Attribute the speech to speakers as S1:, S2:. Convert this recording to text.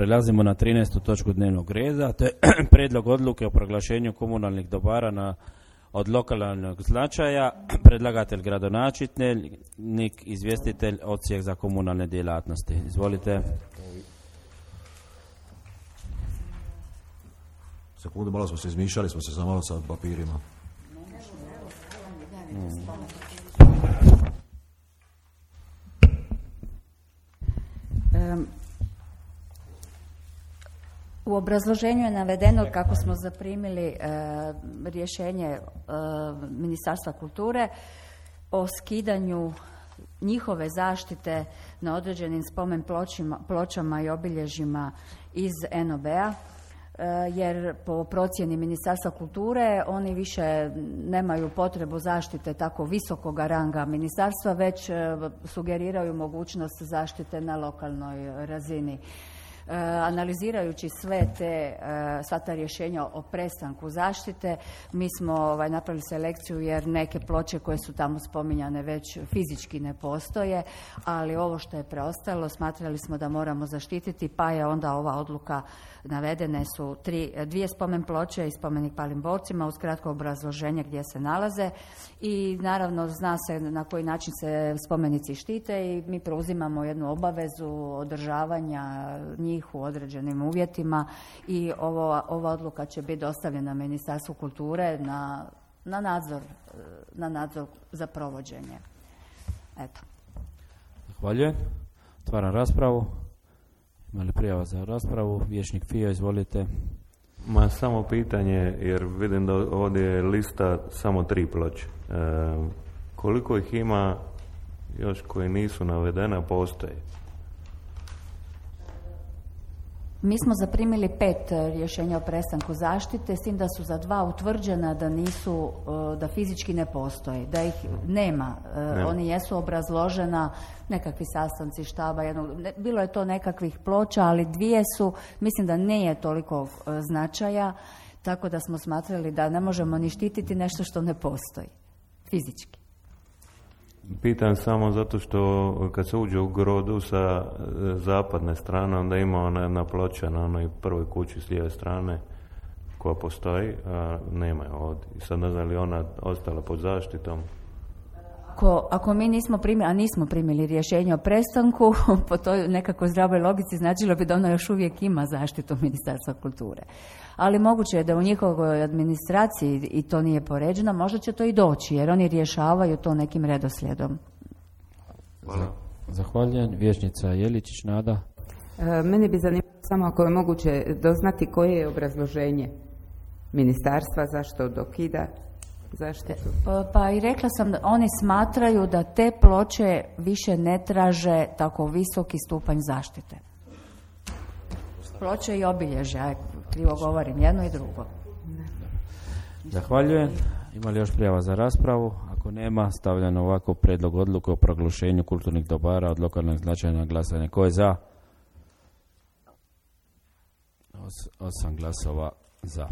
S1: prelazimo na 13. točku dnevnog reda, to je prijedlog odluke o proglašenju komunalnih dobara od lokalnog značaja. Predlagatelj gradonačelnik, izvjestitelj Odsjek za komunalne djelatnosti. Izvolite.
S2: Sekundu, malo smo se izmišljali, smo se malo sa papirima.
S3: U obrazloženju je navedeno kako smo zaprimili rješenje Ministarstva kulture o skidanju njihove zaštite na određenim spomen pločama i obilježjima iz NOB-a, jer po procjeni Ministarstva kulture oni više nemaju potrebu zaštite tako visokoga ranga ministarstva, već sugeriraju mogućnost zaštite na lokalnoj razini. Analizirajući sva ta rješenja o prestanku zaštite, mi smo napravili selekciju jer neke ploče koje su tamo spominjane već fizički ne postoje, ali ovo što je preostalo smatrali smo da moramo zaštititi, pa je onda ova odluka, navedene su dvije spomen ploče i spomenik palim borcima uz kratko obrazloženje gdje se nalaze i naravno zna se na koji način se spomenici štite i mi preuzimamo jednu obavezu održavanja njih u određenim uvjetima i ova odluka će biti dostavljena Ministarstvu kulture na nadzor za provođenje. Eto.
S1: Zahvaljujem. Otvaram raspravu. Ima li prijava za raspravu? Vijećnik Fio, izvolite.
S4: Ma samo pitanje, jer vidim da ovdje je lista samo 3 ploče. Koliko ih ima još koji nisu navedena, postoje?
S3: Mi smo zaprimili 5 rješenja o prestanku zaštite, s tim da su za 2 utvrđena da fizički ne postoje, da ih nema. Oni jesu obrazložena, nekakvi sastanci štaba, bilo je to nekakvih ploča, ali 2 su, mislim da nije toliko značaja, tako da smo smatrali da ne možemo ni štititi nešto što ne postoji fizički.
S4: Pitam samo zato što kad se uđe u Grodu sa zapadne strane, onda ima ona jedna ploča na onoj prvoj kući s lijeve strane koja postoji, a nema je ovdje. I sad ne znam li ona ostala pod zaštitom.
S3: Ako mi nismo primili rješenje o prestanku, po toj nekakvoj zdravoj logici značilo bi da ona još uvijek ima zaštitu Ministarstva kulture. Ali moguće je da u njihovoj administraciji i to nije poređeno, možda će to i doći, jer oni rješavaju to nekim redoslijedom.
S4: Hvala.
S1: Zahvaljujem. Vijećnica Jeličić, Nada.
S5: Mene bi zanimalo samo ako je moguće doznati koje je obrazloženje ministarstva, zašto dokida zaštitu.
S3: Pa i rekla sam da oni smatraju da te ploče više ne traže tako visoki stupanj zaštite. Ploče i obilježja, krivo govorim, jedno i drugo.
S1: Zahvaljujem. Ima li još prijava za raspravu? Ako nema, stavljam ovako prijedlog odluke o proglašenju kulturnih dobara od lokalnog značaja na glasanje. Ko je za? 8 glasova za.